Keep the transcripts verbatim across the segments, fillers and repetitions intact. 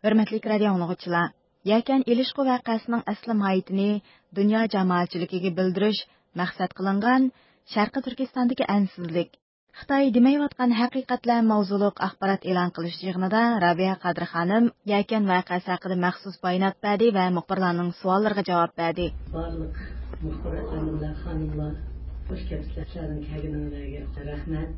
ھۆرمەتلىك رادىئو ئاڭلىغۇچىلار، يەكەن ئېلىشقۇ ۋەقەسىنىڭ ئەسلى ماھىيىتىنى دۇنيا جامائەتچىلىكىگە بىلدۈرۈش مەقسەت قىلىنغان شەرقىي تۈركىستاندىكى ئەنسىزلىك، خىتاي دېمەيۋاتقان ھەقىقەتلەر ماۋزۇلۇق ئاخبارات ئېلان قىلىش يىغىنىدا رابىيە قادىر خانىم يەكەن ۋەقەسى ھەققىدە مەخسۇس بايانات بەردى ۋە مۇخبىرلارنىڭ سوئاللىرىغا جاۋاب بەردى. بارلىق مۇخبىر ئەپەندىلەر، خانىملار، خۇش كەپسىلەر. سىلەرنىڭ كەلگىنىڭلارغا رەھمەت.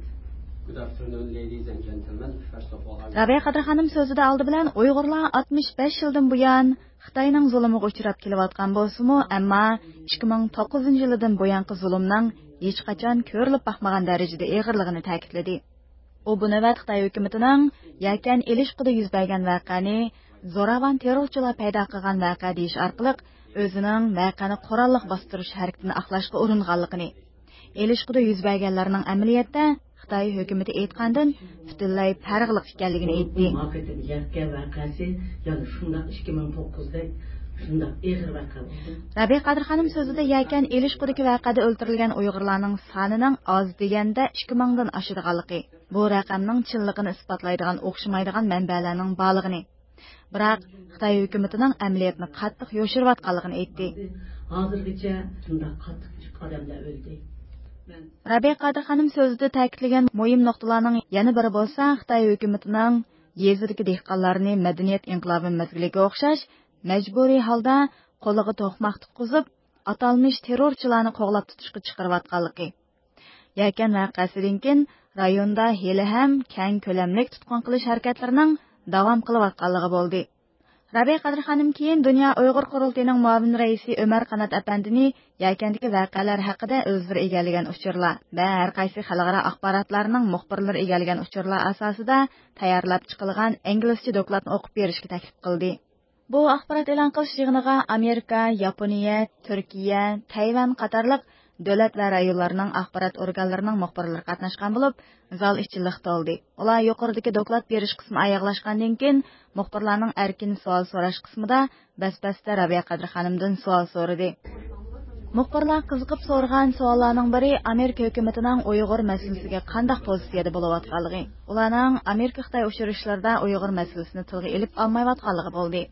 Good afternoon, ladies and gentlemen. First of all, I رابىيە قادىر خانىم سۆزىدە ئالدى بىلەن ئۇيغۇرلار ئاتمىش بەش يىلدىن بۇيان خىتاينىڭ زۇلۇمىغا ئۇچراپ كېلىۋاتقان بولسىمۇ، ئەمما ئىككى مىڭ توققۇزىنچى يىلىدىن بۇيانقى زۇلۇمنىڭ ھېچقاچان كۆرۈلۈپ باقمىغان دەرىجىدە ئېغىرلىقىنى تەكىتلىدى. ئۇ بۇ نۆۋەت خىتاي ھۆكۈمىتىنىڭ يەكەن ئېلىشقۇدا يۈز بەرگەن ۋەقەنى زوراۋان تېررورچىلار پەيدا قىلغان ۋەقە دېيىش ئارقىلىق ئۆزىنىڭ ۋەقەنى قوراللىق باستۇرۇش ھەرىكىتىنى ئاقلاشقا ئۇرۇنغانلىقىنى، ئېلىشقۇدا يۈز بەرگەنلەرنىڭ ئەمەلىيەتتە خىتاي ھۆكۈمىتى ئېيتقاندىن پۈتۈنلەي پەرقلىق ئىكەنلىكىنى ئېيتتى. بۇ ماقىتىم يەككە ۋەقەسى يەنە شۇنداق ئىككى مىڭ توققۇزدەك شۇنداق ئېغىر ۋەقە بولدى. رابىيە قادىر خانىم سۆزىدە يەكەن ئېلىشقۇدىكى ۋەقەدە ئۆلتۈرۈلگەن ئۇيغۇرلارنىڭ سانىنىڭ ئاز دېگەندە ئىككى مىڭدىن ئاشىدىغانلىقى، بۇ رەقەمنىڭ چىنلىقىنى ئىسپاتلايدىغان ئوخشىمايدىغان مەنبەلەرنىڭ بارلىقىنى، بىراق خىتاي ھۆكۈمىتىنىڭ ئەمەلىيەتنى قاتتىق يوشۇرۇۋاتقانلىقىنى ئېيتتى. ھازىرغىچە شۇنداق قاتتىق ئادەملەر ئۆلدى. رابىيە قادىر خانىم سۆزىدە تەكىتلىگەن مۇھىم نۇقتىلارنىڭ يەنە بىرى بولسا، خىتاي ھۆكۈمىتىنىڭ يېزىدىكى دېھقانلارنى مەدەنىيەت ئىنقىلابى مەزگىلىگە ئوخشاش مەجبۇرىي ھالدا قولىغا توقماق تۇتقۇزۇپ، ئاتالمىش تېررورچىلارنى قوغلاپ تۇتۇشقا چىقىرىۋاتقانلىقى، يەكەن ۋەقەسىدىن كېيىن رايوندا ھېلىھەم كەڭ كۆلەملىك تۇتقۇن قىلىش ھەرىكەتلىرىنىڭ داۋام قىلىۋاتقانلىقى بولدى. رابىيە قادىر خانىم كېيىن دۇنيا ئۇيغۇر قۇرۇلتىيىنىڭ مۇئاۋىن رەئىسى ئۆمەر قانات ئەپەندىنى يەكەندىكى ۋەقەلەر ھەققىدە ئۆزلىرى ئىگىلىگەن ئۇچۇرلار ۋە ھەر قايسى خەلقئارا ئاخباراتلارنىڭ مۇخبىرلىرى ئىگىلىگەن ئۇچۇرلار ئاساسىدا تەييارلاپ چىقىلغان ئىنگلىزچە دوكلاتنى ئوقۇپ بېرىشكە تەكلىپ قىلدى. بۇ ئاخبارات ئېلان قىلىش يىغىنىغا ئامېرىكا، ياپونىيە، تۈركىيە، تەيۋەن قاتارلىق دۆلەت ۋە رايونلارنىڭ ئاخبارات ئورگانلىرىنىڭ مۇخبىرلىرى قاتناشقان بولۇپ، زال ئىچى لىق تولدى. ئۇلار يۇقىرىدىكى دوكلات بېرىش قىسمى ئاياغلاشقاندىن كېيىن، مۇخبىرلارنىڭ ئەركىن سوئال سوراش قىسمىدا بەس-بەستە رابىيە قادىر خانىمدىن سوئال سورىدى. مۇخبىرلار قىزىقىپ سورىغان سوئاللارنىڭ بىرى ئامېرىكا ھۆكۈمىتىنىڭ ئۇيغۇر مەسىلىسىگە قانداق پوزىتسىيەدە بولۇۋاتقانلىقى، ئۇلارنىڭ ئامېرىكا-خىتاي ئۇچرىشىشلىرىدا ئۇيغۇر مەسىلىسىنى تىلغا ئېلىپ ئالمايۋاتقانلىقى بولدى.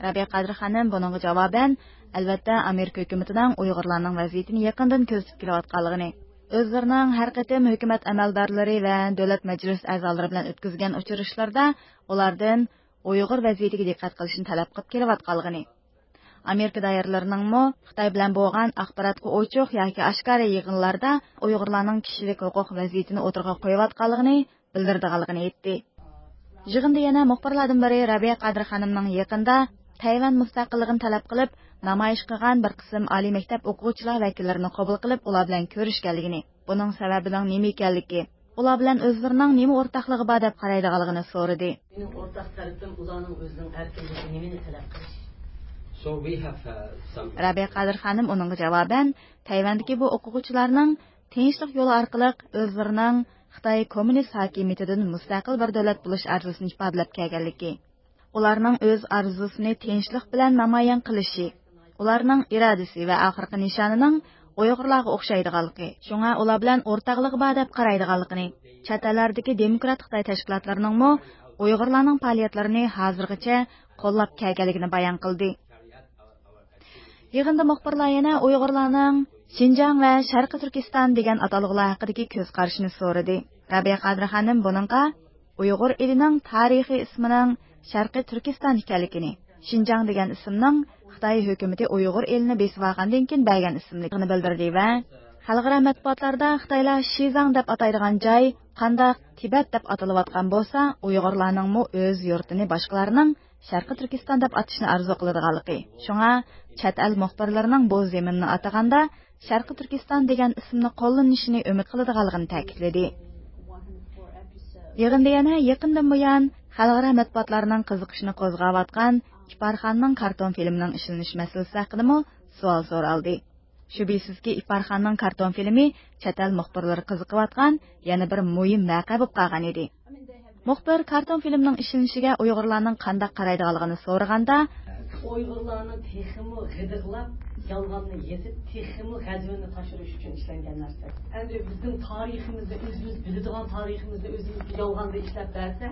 رابىيە قادىر خانىم بۇنىڭغا جاۋابەن، ئەلۋەتتە، ئامېرىكا ھۆكۈمىتىنىڭ ئۇيغۇرلارنىڭ ۋەزىيىتىنى يېقىندىن كۆزىتىپ كېلىۋاتقانلىقىنى، ئۆزلىرىنىڭ ھەر قېتىم ھۆكۈمەت ئەمەلدارلىرى ۋە دۆلەت مەجلىسى ئەزالىرى بىلەن ئۆتكۈزگەن ئۇچرىشىشلىرىدا ئۇلاردىن ئۇيغۇر ۋەزىيىتىگە دىققەت قىلىشنى تەلەپ قىلىپ كېلىۋاتقانلىقىنى، ئامېرىكا دائىرىلىرىنىڭمۇ خىتاي بىلەن بولغان ئاخباراتقا ئوچۇق ياكى ئاشكارا يىغىنلاردا ئۇيغۇرلارنىڭ كىشىلىك ھوقۇق ۋەزىيىتىنى ئوتتۇرىغا قويۇۋاتقانلىقىنى بىلدۈرىدىغانلىقىنى ئېيتتى. يىغىندا يەنە مۇخبىرلاردىن بىرى رابىيە قادىر خانىمنىڭ يېقىندا تەيۋەن مۇستەقىللىقىنى تەلەپ قىلىپ نامايىش قىلغان بىر قىسىم ئالىي مەكتەپ ئوقۇغۇچىلار ۋەكىللىرىنى قوبۇل قىلىپ، ئۇلار بىلەن كۆرۈشكەنلىكىنى، بۇنىڭ سەۋەبىنىڭ نېمە ئىكەنلىكى، ئۇلار بىلەن ئۆزلىرىنىڭ نېمە ئورتاقلىقى بار دەپ قارايدىغانلىقىنى سورىدى. مېنىڭ ئورتاق تەرىپىم ئۇلارنىڭ ئۆزىنىڭ ئەركىنلىكى نېمىنى تەلەپ قىلىش. So we have, uh, some رابىيە قادىر خانىم ئۇنىڭغا جاۋابەن، تەيۋەندىكى بۇ ئوقۇغۇچىلارنىڭ تىنچلىق يولى ئارقىلىق ئۆزلىرىنىڭ خىتاي كوممۇنىست ھاكىمىيىتىدىن مۇستەقىل بىر دۆلەت بولۇش ئارزۇسىنى ئىپادىلەپ كەلگەنلىكى، ئۇلارنىڭ ئۆز ئارزۇسىنى تىنچلىق بىلەن نامايان قىلىشى، ئۇلارنىڭ ئىرادىسى ۋە ئاخىرقى نىشانىنىڭ ئۇيغۇرلارغا ئوخشايدىغانلىقى، شۇڭا ئۇلار بىلەن ئورتاقلىقى بار دەپ قارايدىغانلىقىنى، چەت ئەللەردىكى دېموكرات خىتاي تەشكىلاتلىرىنىڭمۇ ئۇيغۇرلارنىڭ پائالىيەتلىرىنى ھازىرغىچە قوللاپ كەلگەنلىكىنى بايان قىلدى. يىغىندا مۇخبىرلار يەنە ئۇيغۇرلارنىڭ شىنجاڭ ۋە شەرقىي تۈركىستان دېگەن ئاتالغۇلار ھەققىدىكى كۆز قارىشىنى سورىدى. رابىيە قادىر خانىم بۇنىڭغا ئۇيغۇر ئېلىنىڭ تارىخىي ئىسمىنىڭ شەرقىي تۈركىستان ئىكەنلىكىنى، شىنجاڭ دېگەن ئىسىمنىڭ خىتاي ھۆكۈمىتى ئۇيغۇر ئېلىنى بېسىۋالغاندىن كېيىن بەرگەن ئىسىملىكىنى بىلدۈردى ۋە خەلقئارا مەتبۇئاتلاردا خىتايلار شىزاڭ دەپ ئاتايدىغان جاي قانداق تىبەت دەپ ئاتىلىۋاتقان بولسا، ئۇيغۇرلارنىڭمۇ ئۆز يۇرتىنى باشقىلارنىڭ شەرقىي تۈركىستان دەپ ئاتىشىنى ئارزۇ قىلىدىغانلىقى، شۇڭا چەت ئەل مۇخبىرلىرىنىڭ بۇ زېمىننى ئاتىغاندا شەرقىي تۈركىستان دېگەن ئىسىمنى قوللىنىشىنى ئۈمىد قىلىدىغانلىقىنى تەكىتلىدى. يىغىندا يەنە يېقىندىن بۇيان خەلقئارا مەتبۇئاتلارنىڭ قىزىقىشىنى قوزغاۋاتقان ئىپارخاننىڭ كارتون فىلىمىنىڭ ئىشلىنىش مەسىلىسى ھەققىدىمۇ سوئال سورالدى. شۈبھىسىزكى، ئىپارخاننىڭ كارتون فىلىمى چەت ئەل مۇخبىرلىرى قىزىقىۋاتقان يەنە بىر مۇھىم ۋەقە بولۇپ قالغان ئىدى. مۇخبىر كارتون فىلىمنىڭ ئىشلىنىشىگە ئۇيغۇرلارنىڭ قانداق قارايدىغانلىقىنى سورىغاندا، ئۇيغۇرلارنى تېخىمۇ غىدىقلاپ، يالغاننى يېزىپ، تېخىمۇ غەزىۋىنى تاشۇرۇش ئۈچۈن ئىشلەنگەن نەرسە. ئەمدى بىزنىڭ تارىخىمىزنى، ئۆزىمىز بىلىدىغان تارىخىمىزنى ئۆزىمىز يالغاندا ئىشلەپ بەرسە،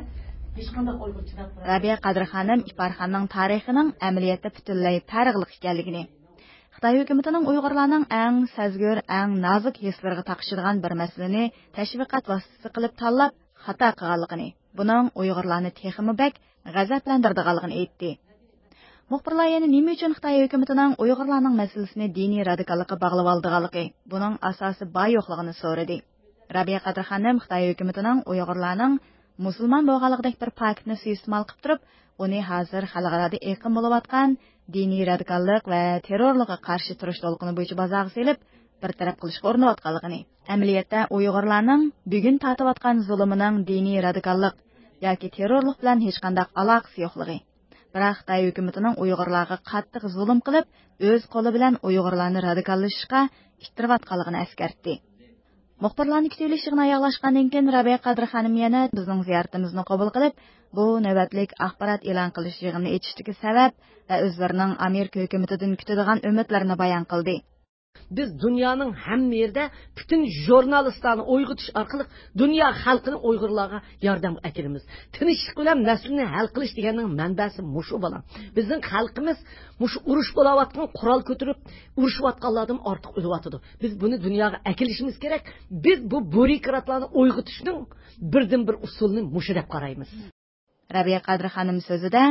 رابىيە قادىر خانىم ئىپارخاننىڭ تارىخىنىڭ ئەمەلىيەتتە پۈتۈنلەي پەرقلىق ئىكەنلىكىنى، خىتاي ھۆكۈمىتىنىڭ ئۇيغۇرلارنىڭ ئەڭ سەزگۈر، ئەڭ نازۇك ھېسلىرىغا تاقىشىدىغان بىر مەسىلىنى تەشۋىقات ۋاسىتىسى قىلىپ تاللاپ خاتا قىلغانلىقىنى، بۇنىڭ ئۇيغۇرلارنى تېخىمۇ بەك غەزەپلەندۈرىدىغانلىقىنى ئېيتتى. مۇخبىرلار يەنە نېمە ئۈچۈن خىتاي ھۆكۈمىتىنىڭ ئۇيغۇرلارنىڭ مەسىلىسىنى دىنىي رادىكاللىققا باغلىۋالىدىغانلىقى، بۇنىڭ ئاساسى بار يوقلۇقىنى سورىدى. رابىيە قادىر خانىم خىتاي ھۆكۈمىتىنىڭ ئۇيغۇرلارنىڭ مۇسۇلمان بولغانلىقىدەك بىر پاكىتنى سۇيىئىستېمال قىلىپ تۇرۇپ، ئۇنى ھازىر خەلقئارادا ئېقىم بولۇۋاتقان دىنىي رادىكاللىق ۋە تېررورلۇققا قارشى تۇرۇش دولقۇنى بويىچە بازارغا سېلىپ، بىر تەرەپ قىلىشقا ئۇرۇنۇۋاتقانلىقىنى، ئەمەلىيەتتە ئۇيغۇرلارنىڭ بۈگۈن تارتىۋاتقان زۇلۇمىنىڭ دىنىي رادىكاللىق ياكى تېررورلۇق بىلەن ھېچقانداق ئالاقىسى يوقلۇقى، بىراق خىتاي ھۆكۈمىتىنىڭ ئۇيغۇرلارغا قاتتىق زۇلۇم قىلىپ، ئۆز قولى بىلەن ئۇيغۇرلارنى رادىكاللىشىشقا ئىتتىرىۋاتقانلىقىنى ئەسكەرتتى. مۇخبىرلارنى كۈتۈۋېلىش يىغىنى ئاياغلاشقاندىن كېيىن، رابىيە قادىر خانىم يەنە بىزنىڭ زىيارىتىمىزنى قوبۇل قىلىپ، بۇ نۆۋەتلىك ئاخبارات ئېلان قىلىش يىغىنىنى ئېچىشتىكى سەۋەب ۋە ئۆزلىرىنىڭ ئامېرىكا ھۆكۈمىتىدىن كۈتىدىغان ئۈمىدلىرىنى بايان قىلدى. بىز دۇنيانىڭ ھەممە يېرىدە پۈتۈن ژۇرنالىستلارنى ئويغىتىش ئارقىلىق دۇنيا خەلقىنى ئۇيغۇرلارغا ياردەمگە ئەكىلىمىز. تىنچلىق بىلەن مەسىلىنى ھەل قىلىش دېگەننىڭ مەنبەسى مۇشۇ، بالام. بىزنىڭ خەلقىمىز مۇشۇ ئۇرۇش بولاۋاتقان، قورال كۆتۈرۈپ ئۇرۇشۇۋاتقانلاردىن ئارتۇق ئۆلۈۋاتىدۇ. بىز بۇنى دۇنياغا ئەكېلىشىمىز كېرەك. بىز بۇ بيۇروكراتلارنى ئويغىتىشنىڭ بىردىنبىر ئۇسۇلىنى مۇشۇ دەپ قارايمىز. رەبىيە قادىر خانىم سۆزىدە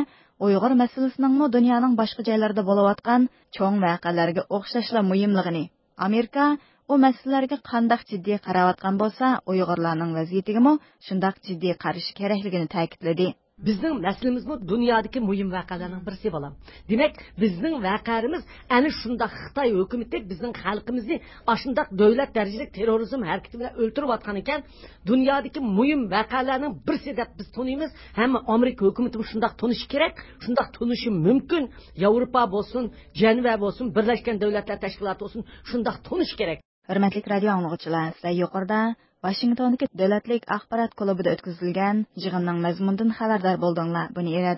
ئۇيغۇر مەسىلىسىنىڭمۇ دۇنيانىڭ باشقا جايلىرىدا بولۇۋاتقان چوڭ ۋەقەلەرگە ئوخشاشلا مۇھىملىقىنى، ئامېرىكا ئۇ مەسىلىلەرگە قانداق جىددىي قاراۋاتقان بولسا، ئۇيغۇرلارنىڭ ۋەزىيىتىگىمۇ شۇنداق جىددىي قارىشى كېرەكلىكىنى تەكىتلىدى. بىزنىڭ مەسىلىمىزمۇ دۇنيادىكى مۇھىم ۋەقەلەرنىڭ بىرسى، بالام. دېمەك، بىزنىڭ ۋەقەمىز ئەنە شۇنداق خىتاي ھۆكۈمىتى بىزنىڭ خەلقىمىزنى ئاشۇنداق دۆلەت دەرىجىلىك تېررورىزم ھەرىكىتى بىلەن ئۆلتۈرۈۋاتقان ئىكەن، دۇنيادىكى مۇھىم ۋەقەلەرنىڭ بىرسى دەپ بىز تونۇيمىز. ھەممە ئامېرىكا ھۆكۈمىتىمۇ شۇنداق تونۇشى كېرەك، شۇنداق تونۇشى مۇمكىن. ياۋروپا بولسۇن، جەنۋە بولسۇن، بىرلەشكەن دۆلەتلەر تەشكىلاتى بولسۇن، شۇنداق تونۇشى كېرەك. ھۆرمەتلىك رادىيو ئاڭلىغۇچىلار، سىلەر يۇقىرىدا ۋاشىنگتوندىكى دۆلەتلىك ئاخبارات كۇلۇبىدا ئۆتكۈزۈلگەن يىغىننىڭ مەزمۇنىدىن خەۋەردار بولدۇڭلار. بۇنى ئىرادە